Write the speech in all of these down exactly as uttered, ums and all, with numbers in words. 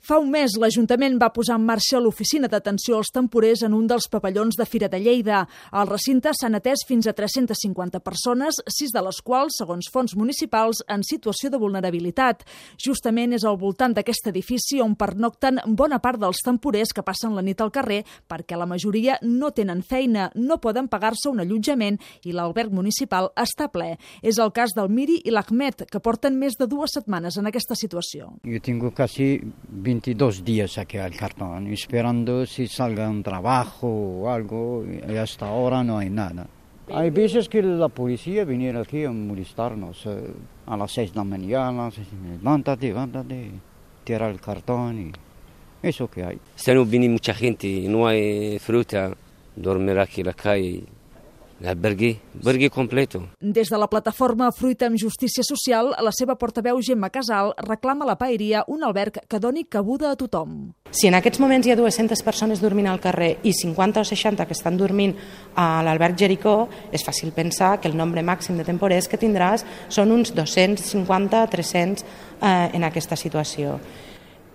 Fa un mes, l'Ajuntament va posar en marxa l'oficina d'atenció als temporers en un dels pavellons de Fira de Lleida. Al recinte s'han atès fins a tres-centes cinquanta persones, sis de les quals, segons fons municipals, en situació de vulnerabilitat. Justament és al voltant d'aquest edifici on pernocten bona part dels temporers que passen la nit al carrer perquè la majoria no tenen feina, no poden pagar-se un allotjament i l'alberg municipal està ple. És el cas del Miri i l'Ahmed, que porten més de dues setmanes en aquesta situació. Yo tengo casi veintidós días aquí al cartón, esperando si salga un trabajo o algo, y hasta ahora no hay nada. Hay veces que la policía viene aquí a molestarnos eh, a las seis de la mañana, levántate, levántate, tira el cartón y eso que hay. Esta no viene mucha gente, no hay fruta, dormir aquí en la calle. L'albergue, albergue completo. Des de la plataforma Fruita amb Justícia Social, la seva portaveu Gemma Casal reclama a la paeria un alberg que doni cabuda a tothom. Si en aquests moments hi ha dues-centes persones dormint al carrer i cinquanta o seixanta que estan dormint a l'alberg Jericó, és fàcil pensar que el nombre màxim de temporers que tindràs són uns dos-cents cinquanta a tres-cents eh, en aquesta situació.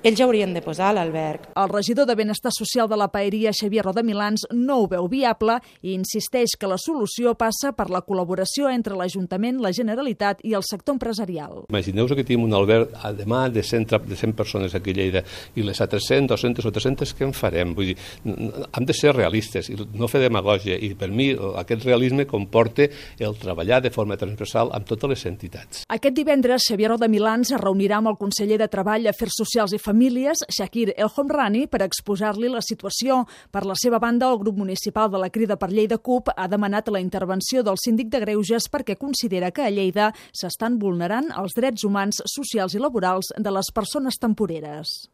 Ells ja haurien de posar a l'alberg. El regidor de Benestar Social de la paeria, Xavier Rodamilans, no ho veu viable i insisteix que la solució passa per la col·laboració entre l'Ajuntament, la Generalitat i el sector empresarial. Imagineu-vos que tenim un alberg demà de cent, de cent persones aquí a Lleida i les altres cent, dues-centes o tres-centes què en farem? Vull dir, hem de ser realistes i no fer demagògia i per mi aquest realisme comporta el treballar de forma transversal amb totes les entitats. Aquest divendres, Xavier Rodamilans es reunirà amb el conseller de Treball, Afers Socials i Famílies, Shakir El Homrani, per exposar-li la situació. Per la seva banda, el grup municipal de la Crida per Lleida CUP ha demanat la intervenció del síndic de Greuges perquè considera que a Lleida s'estan vulnerant els drets humans, socials i laborals de les persones temporeres.